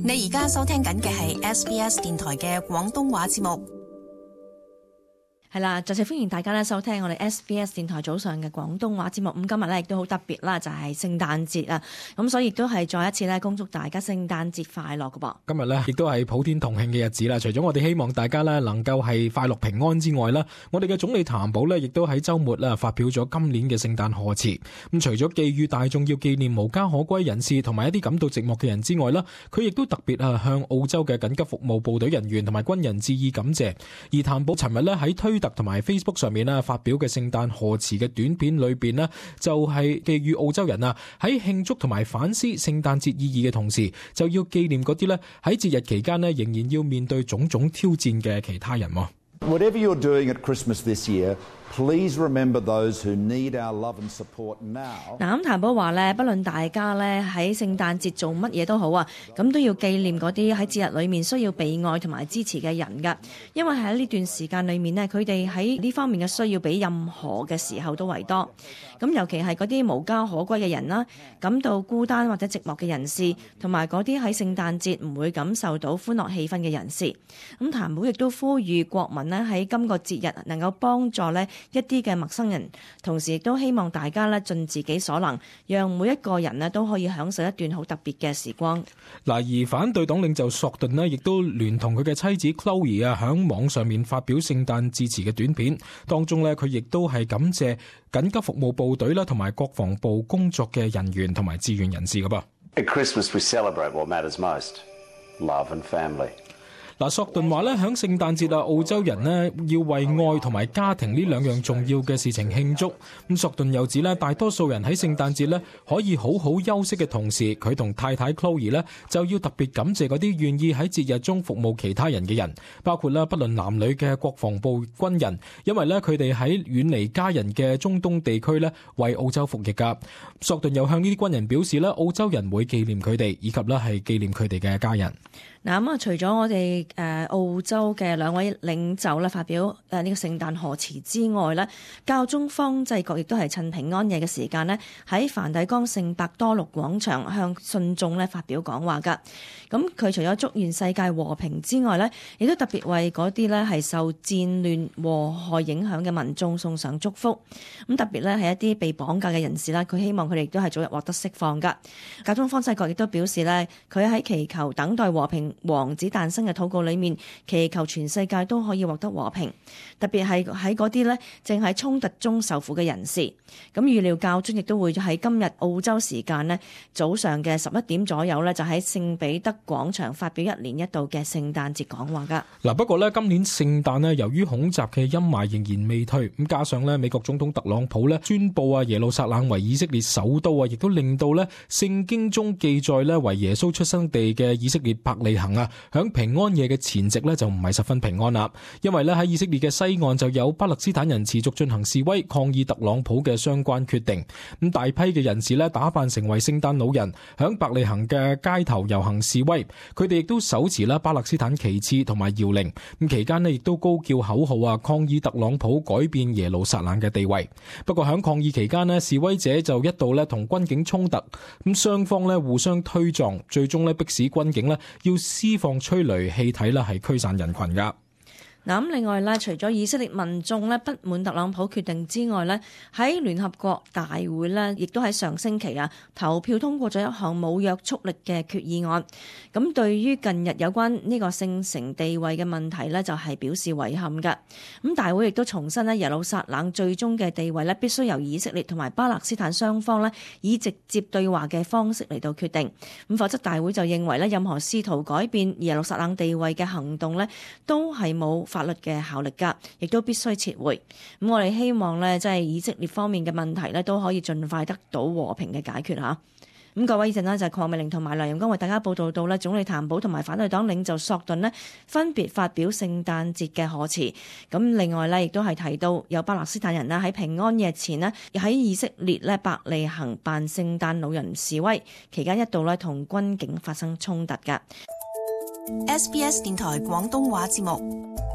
你而家收聽緊嘅係 SBS 電台嘅廣東話節目。係啦，再次歡迎大家咧收聽我哋 SBS 電台早上嘅廣東話節目。咁今日咧亦都好特別啦，就係聖誕節啊，咁所以亦都係再一次咧恭祝大家聖誕節快樂㗎噃。今日咧亦都係普天同慶嘅日子啦。除咗我哋希望大家咧能夠係快樂平安之外啦，我哋嘅總理譚寶咧亦都喺週末啦發表咗今年嘅聖誕賀詞。咁除咗寄語大眾要紀念無家可歸人士同埋一啲感到寂寞嘅人之外啦，佢亦都特別向澳洲嘅緊急服務部隊人員同埋軍人致以感謝。而譚寶尋日咧喺推特同埋 Facebook 上面發表嘅聖誕賀詞嘅短片裏邊呢，就係寄語澳洲人喺慶祝同埋反思聖誕節意義嘅同時，就要紀念嗰啲咧喺節日期間呢仍然要面對種種挑戰嘅其他人。Whatever you're doing at Christmas this year, please remember those who need our love and support now. 嗱，咁譚寶話咧，不論大家咧喺聖誕節做乜嘢都好啊，咁都要紀念嗰啲喺節日裏面需要被愛同埋支持嘅人噶，因為喺呢段時間裏面呢，佢哋喺呢方面嘅需要比任何嘅時候都為多。咁尤其係嗰啲無家可歸嘅人啦，感到孤單或者寂寞嘅人士，同埋嗰啲喺聖誕節唔會感受到歡樂氣氛嘅人士。咁譚寶亦都呼籲國民呢喺今個節日能夠幫助呢一啲嘅陌生人，同時亦都希望大家呢盡自己所能，讓每一個人呢都可以享受一段好特別嘅時光。嗱，而反對黨領袖索頓呢亦都聯同佢嘅妻子 Chloe 響網上面發表聖誕致辭嘅短片，當中呢佢亦都係感謝緊急服務部隊啦同埋國防部工作嘅人員同埋志願人士噶噃。At Christmas we celebrate what matters most, love and family. 嗱，索頓話咧，響聖誕節澳洲人呢要為愛同埋家庭呢兩樣重要嘅事情慶祝。咁索頓又指咧，大多數人喺聖誕節咧可以好好休息嘅同時，佢同太太 Chloe 咧就要特別感謝嗰啲願意喺節日中服務其他人嘅人，包括不論男女嘅國防部軍人，因為咧佢哋喺遠離家人嘅中東地區咧為澳洲服役噶。索頓又向呢啲軍人表示咧，澳洲人會紀念佢哋，以及咧係紀念佢哋嘅家人。嗱，咁除咗我哋澳洲嘅兩位領袖咧發表呢個聖誕賀詞之外咧，教宗方濟各亦都係趁平安夜嘅時間咧喺梵蒂岡聖伯多祿廣場向信眾咧發表講話㗎。咁佢除咗祝願世界和平之外咧，亦都特別為嗰啲咧係受戰亂禍害影響嘅民眾送上祝福。咁特別咧係一啲被綁架嘅人士啦，佢希望佢哋亦都係早日獲得釋放㗎。教宗方濟各亦都表示咧，佢喺祈求等待和平王子誕生嘅禱告裏面，祈求全世界都可以獲得和平，特別係喺嗰啲正喺衝突中受苦嘅人士。咁預料教宗亦都會喺今日澳洲時間早上嘅11點左右就喺聖彼得廣場發表一年一度嘅聖誕節講話噶。嗱，不過今年聖誕由於恐襲嘅陰霾仍然未退，咁加上美國總統特朗普宣布耶路撒冷為以色列首都亦都令到聖經中記載為耶穌出生地嘅以色列伯利恆響平安夜嘅前夕就唔係十分平安啦，因為喺以色列嘅西岸就有巴勒斯坦人持續進行示威抗議特朗普嘅相關決定。咁大批嘅人士打扮成為聖誕老人，響伯利恆嘅街頭遊行示威，佢哋亦都手持巴勒斯坦旗幟同埋搖鈴。咁期間亦都高叫口號抗議特朗普改變耶路撒冷嘅地位。不過響抗議期間示威者就一度同軍警衝突，咁雙方互相推撞，最終迫使軍警要施放催淚氣體係驅散人群噶。嗱，咁另外除咗以色列民眾不滿特朗普決定之外喺聯合國大會亦都喺上星期投票通過咗一項冇約束力嘅決議案。咁對於近日有關呢個聖城地位嘅問題就係表示遺憾㗎。咁大會亦都重申耶路撒冷最終嘅地位必須由以色列同埋巴勒斯坦雙方以直接對話嘅方式嚟到決定。咁否則大會就認為任何試圖改變耶路撒冷地位嘅行動都係冇法律嘅效力㗎，亦都必須撤回。咁我哋希望即係以色列方面嘅問題都可以盡快得到和平嘅解決嚇。咁各位，呢陣就係鄺美玲同埋梁陽光為大家報道到總理譚寶同埋反對黨領袖索頓分別發表聖誕節嘅賀詞。咁另外亦都係提到有巴勒斯坦人喺平安夜前喺以色列伯利恆扮聖誕老人示威，期間一度同軍警發生衝突㗎。SBS 電台廣東話節目。